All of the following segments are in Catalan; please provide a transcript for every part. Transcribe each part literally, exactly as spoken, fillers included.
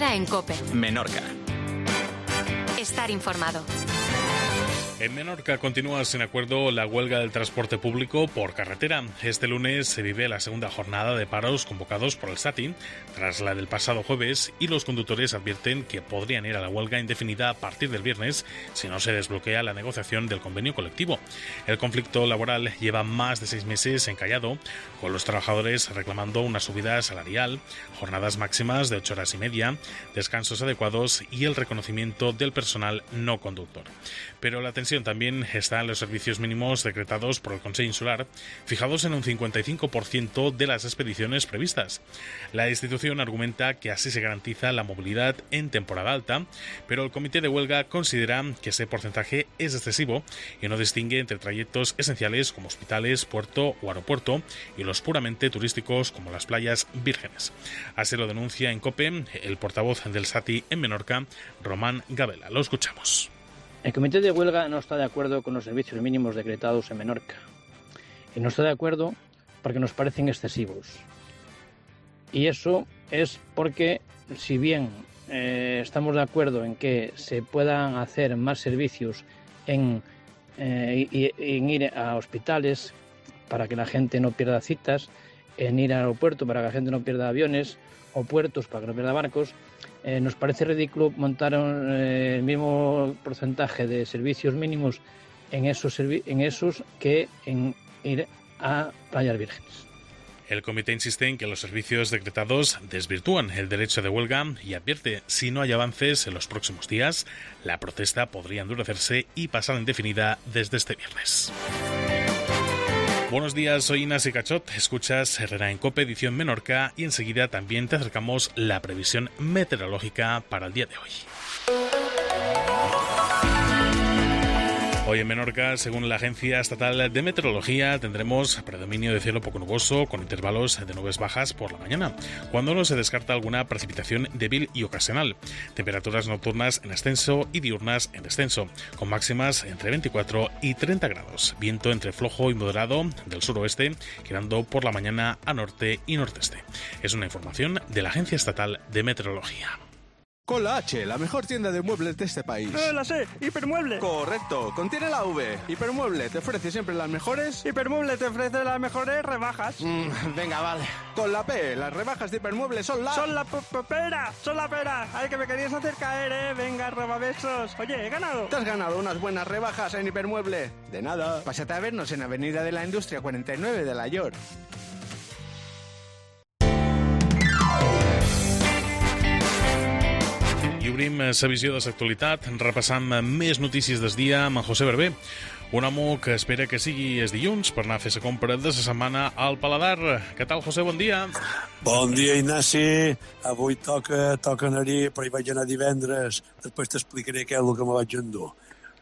día en COPE. Menorca. Estar informado. En Menorca continúa sin acuerdo la huelga del transporte público por carretera. Este lunes se vive la segunda jornada de paros convocados por el SATI, tras la del pasado jueves, y los conductores advierten que podrían ir a la huelga indefinida a partir del viernes si no se desbloquea la negociación del convenio colectivo. El conflicto laboral lleva más de seis meses encallado, con los trabajadores reclamando una subida salarial, jornadas máximas de ocho horas y media, descansos adecuados y el reconocimiento del personal no conductor. Pero la tensión también está en los servicios mínimos decretados por el Consell Insular, fijados en un cincuenta y cinco por ciento de las expediciones previstas. La institución argumenta que así se garantiza la movilidad en temporada alta, pero el comité de huelga considera que ese porcentaje es excesivo y no distingue entre trayectos esenciales como hospitales, puerto o aeropuerto y los puramente turísticos como las playas vírgenes. Así lo denuncia en COPE el portavoz del SATI en Menorca, Román Gabela. Lo escuchamos. El comité de huelga no está de acuerdo con los servicios mínimos decretados en Menorca. Y no está de acuerdo porque nos parecen excesivos. Y eso es porque, si bien eh, estamos de acuerdo en que se puedan hacer más servicios en, eh, y, en ir a hospitales para que la gente no pierda citas, en ir al aeropuerto para que la gente no pierda aviones, o puertos para que no pierda barcos, Eh, nos parece ridículo montar eh, el mismo porcentaje de servicios mínimos en esos, servi- en esos que en ir a playas vírgenes. El comité insiste en que los servicios decretados desvirtúan el derecho de huelga y advierte, si no hay avances en los próximos días, la protesta podría endurecerse y pasar indefinida desde este viernes. Buenos días, soy Inasi Cachot, escuchas Herrera en COPE, edición Menorca, y enseguida también te acercamos la previsión meteorológica para el día de hoy. Hoy en Menorca, según la Agencia Estatal de Meteorología, tendremos predominio de cielo poco nuboso con intervalos de nubes bajas por la mañana, cuando no se descarta alguna precipitación débil y ocasional. Temperaturas nocturnas en ascenso y diurnas en descenso, con máximas entre veinticuatro y treinta grados. Viento entre flojo y moderado del suroeste, girando por la mañana a norte y nordeste. Es una información de la Agencia Estatal de Meteorología. Con la H, la mejor tienda de muebles de este país. ¡Eh, la sé! ¡Hipermueble! Correcto, contiene la V. Hipermueble te ofrece siempre las mejores... Hipermueble te ofrece las mejores rebajas. Mm, venga, vale. Con la P, las rebajas de Hipermueble son la... ¡Son la pera! ¡Son la pera! ¡Ay, que me querías hacer caer, eh! Venga, roba besos. Oye, he ganado. Te has ganado unas buenas rebajas en Hipermueble. De nada. Pásate a vernos en Avenida de la Industria cuarenta y nueve de la York. I obrim la visió de l'actualitat, repassant més notícies del dia amb en José Berber, un home que espera que sigui el dilluns per anar a fer la compra de la setmana al Paladar. Què tal, José? Bon dia. Bon dia, Ignasi. Avui toca, toca anar-hi, però hi vaig anar divendres. Després t'explicaré què és el que me vaig endur.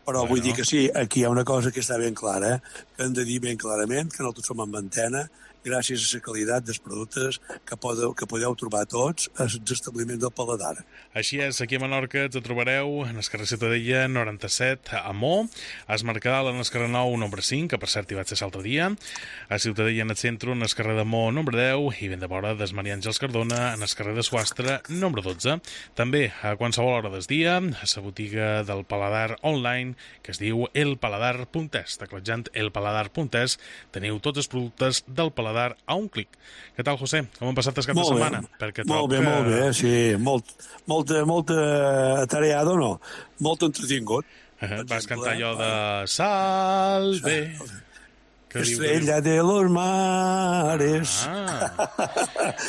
Però bueno, vull dir que sí, aquí hi ha una cosa que està ben clara, eh? que hem de dir ben clarament que nosaltres som en antena, gràcies a la qualitat dels productes que podeu, que podeu trobar tots als establiments del Paladar. Així és, aquí a Menorca te trobareu en el carrer Ciutadella noranta-set a Mo, a es Mercadal en el carrer nou número cinc, que per cert hi vaig ser l'altre dia, a Ciutadella en el centre en el carrer de Mo número deu i ben de vora des Maria Àngels Cardona en el carrer de Suastre número dotze. També a qualsevol hora del dia a la botiga del Paladar online que es diu elpaladar punt es. Tecletjant elpaladar punt es teniu tots els productes del Paladar a un clic. Què tal, José? Com han passat el cap de setmana? Perquè molt bé, que... molt bé, sí. Molt, molt, molt atareado, no? Molt entretingut. Uh-huh. Vas cantar allò de Salve. Estrella de los mares. Ah.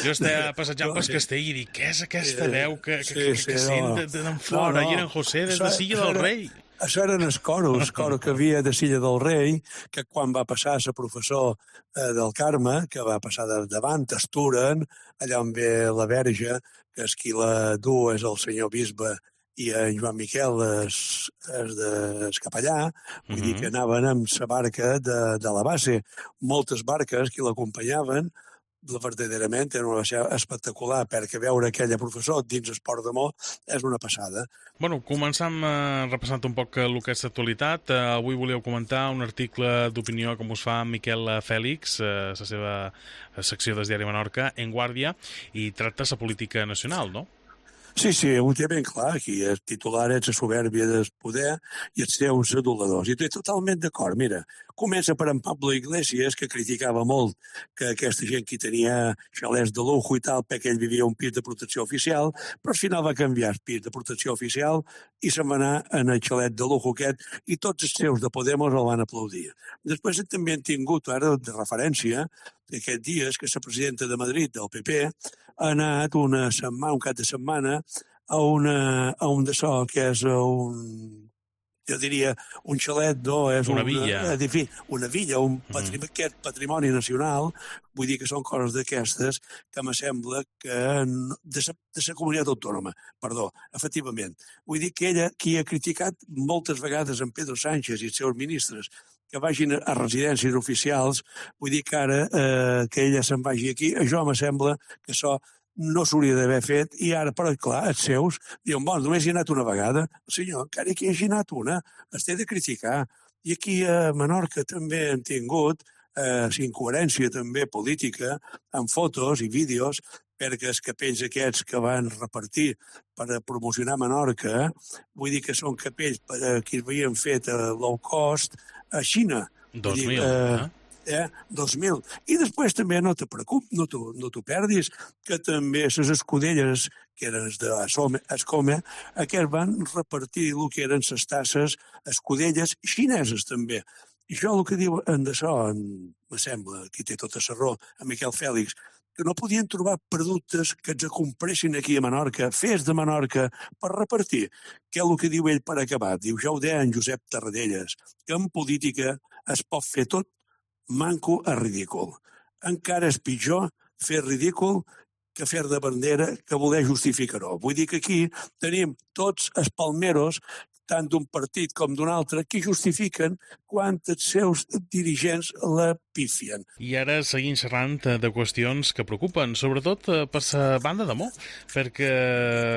Jo estava passejant pel castell i dic, què és aquesta veu que, que, que, que sent d'en fora? I era en José des de Silla del Rei. Això eren els coros, coro que havia de Silla del Rei, que quan va passar a ser professor eh, del Carme, que va passar de, davant, Esturen, allà on ve la Verge, que és qui la du és el senyor bisbe, i en Joan Miquel és, és de és capellà, vull mm-hmm. dir que anaven amb la barca de, de la base. Moltes barques que l'acompanyaven, verdaderament era una baixa espectacular, perquè veure aquella professor dins el Port de Mo és una passada. Bueno, començam eh, repassant un poc el que és l'actualitat. Eh, avui volíeu comentar un article d'opinió com us fa Miquel Fèlix, eh, la seva secció del diari Menorca, en Guàrdia, i tracta la política nacional, no? Sí, sí, ho té ben clar, aquí el titular és la soberbia del poder i els seus aduladors. I estic totalment d'acord. Mira, comença per en Pablo Iglesias, que criticava molt que aquesta gent que tenia xalets de lujo i tal, perquè ell vivia un pis de protecció oficial, però al final va canviar el pis de protecció oficial i se'n va anar en el xalet de lujo aquest i tots els seus de Podemos el van aplaudir. Després també han tingut, ara de referència, aquests dies que la presidenta de Madrid, del P P, ha anat una setmana, un cap de setmana a, una, a un d'això, que és un, jo diria, un xalet, no? És una un, villa. Edifici, una villa, un patrimoni, mm. aquest patrimoni nacional, vull dir que són coses d'aquestes que me sembla que no, de la comunitat autònoma, perdó, efectivament. Vull dir que ella, qui ha criticat moltes vegades en Pedro Sánchez i els seus ministres, que vagin a residències oficials, vull dir que ara eh, que ella se'n vagi aquí, això me sembla que això no s'hauria d'haver fet, i ara, però clar, els seus diuen, bon, només hi ha anat una vegada. Senyor, encara que hi hagi anat una, es té de criticar. I aquí a Menorca també hem tingut eh, incoherència també política, amb fotos i vídeos, perquè els capells aquests que van repartir per a promocionar Menorca, vull dir que són capells per, que havien fet a low cost a Xina. dos mil, eh? Eh? dos mil. I després també no te preocupis, no t'ho no perdis, que també les escudelles, que eren d'Escome, aquests van repartir el que eren les tasses, escudelles xineses també. I això el que diu en d'això, me sembla, qui té tota la raó, en Miquel Fèlix, que no podien trobar productes que ens compressin aquí a Menorca, fets de Menorca, per repartir. Què és el que diu ell per acabar? Diu, ja ho deia en Josep Tarradellas, que en política es pot fer tot manco a ridícul. Encara és pitjor fer ridícul que fer de bandera que voler justificar-ho. Vull dir que aquí tenim tots els palmeros, tant d'un partit com d'un altre, que justifiquen quan els seus dirigents la pifien. I ara seguim xerrant de qüestions que preocupen, sobretot per la banda de Mo, perquè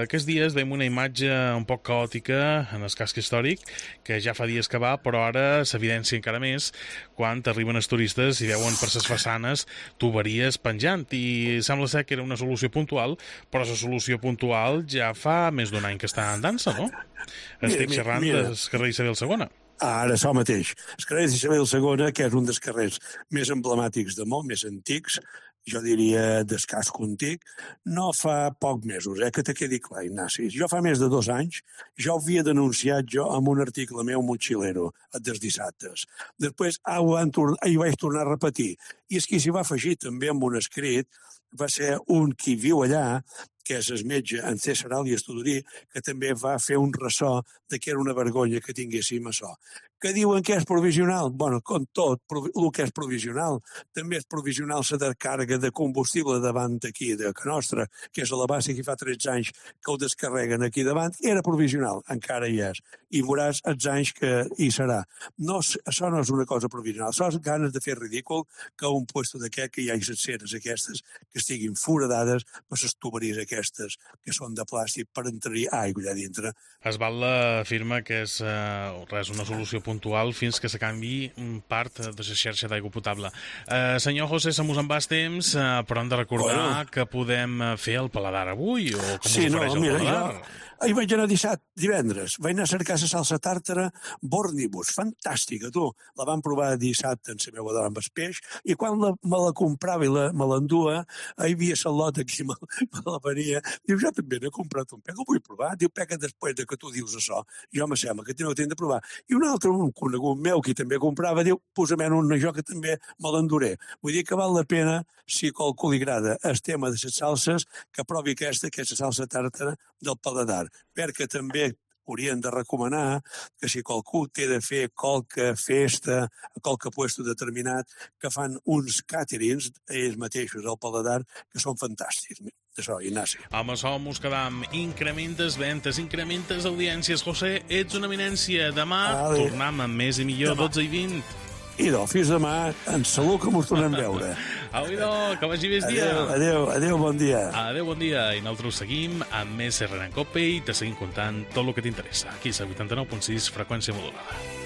aquests dies veiem una imatge un poc caòtica en el casc històric, que ja fa dies que va, però ara s'evidencia encara més quan arriben els turistes i veuen per les façanes tuberies penjant, i sembla ser que era una solució puntual, però la solució puntual ja fa més d'un any que està en dansa, no? Estic xerrant del carrer Isabel segona. Ara, això mateix. El carrer Isabel segona, que és un dels carrers més emblemàtics de molt més antics, jo diria d'escàs contic, no fa poc mesos, eh, que te quedi clar, Ignasi. Jo fa més de dos anys ja ho havia denunciat jo amb un article meu motxilero, dels dissabtes. Després ah, ho, van tornar, ho vaig tornar a repetir. I és qui s'hi va afegir també amb un escrit, va ser un qui viu allà, que és el metge en César Alias Tudorí, que també va fer un ressò de que era una vergonya que tinguéssim això. Que diuen que és provisional? Bueno, com tot, el que és provisional. També és provisional la descàrrega de combustible davant aquí, de que nostra, que és a la base que fa tretze anys que ho descarreguen aquí davant, era provisional, encara hi és. I veuràs els anys que hi serà. No, això no és una cosa provisional, això és ganes de fer ridícul que un puesto d'aquest, que hi hagi les ceres aquestes, que estiguin foradades per les tuberies aquestes, que són de plàstic per entrar aigua allà dintre. Esbatla afirma que és eh, res, una solució puntual fins que se canvi part de la xarxa d'aigua potable. Eh, senyor José, se mos en va el temps, eh, però hem de recordar bueno. que podem fer el paladar avui, o com sí, us ofereix no, el mira, paladar? Jo... Ahir vaig anar dissabte, divendres, vaig anar a cercar la salsa tàrtara Bornibus, fantàstica, tu. La vam provar dissabte en la meva dona amb el peix, i quan la, me la comprava i la, me l'endua, hi havia la lota aquí, me, me la venia, diu, jo també n'he comprat un pec, ho vull provar, diu, peca després de que tu dius això, jo me sembla que teniu que de provar. I un altre, un conegut meu, que també comprava, diu, posa-me'n un jo que també me l'enduré. Vull dir que val la pena, si qualcú li agrada el tema de les salses, que provi aquesta, que és la salsa tàrtara del paladar, perquè també haurien de recomanar que si qualcú té de fer qualque festa, qualque puesto determinat, que fan uns càterings, ells mateixos, al paladar, que són fantàstics. Això, Ignasi. Amb això mos quedam. Incrementes ventes, incrementes audiències. José, ets una eminència. Demà Ale. tornem amb més i millor, demà. dotze i vint. Idò, fins demà, en salut que mos tornem a veure. Au, idò, que vagi bé el dia. Adéu, adéu, adéu, bon dia. Adéu, bon dia. I nosaltres seguim amb més Herrera en Cope i te seguim contant tot el que t'interessa. Aquí és a vuitanta-nou punt sis, freqüència modulada.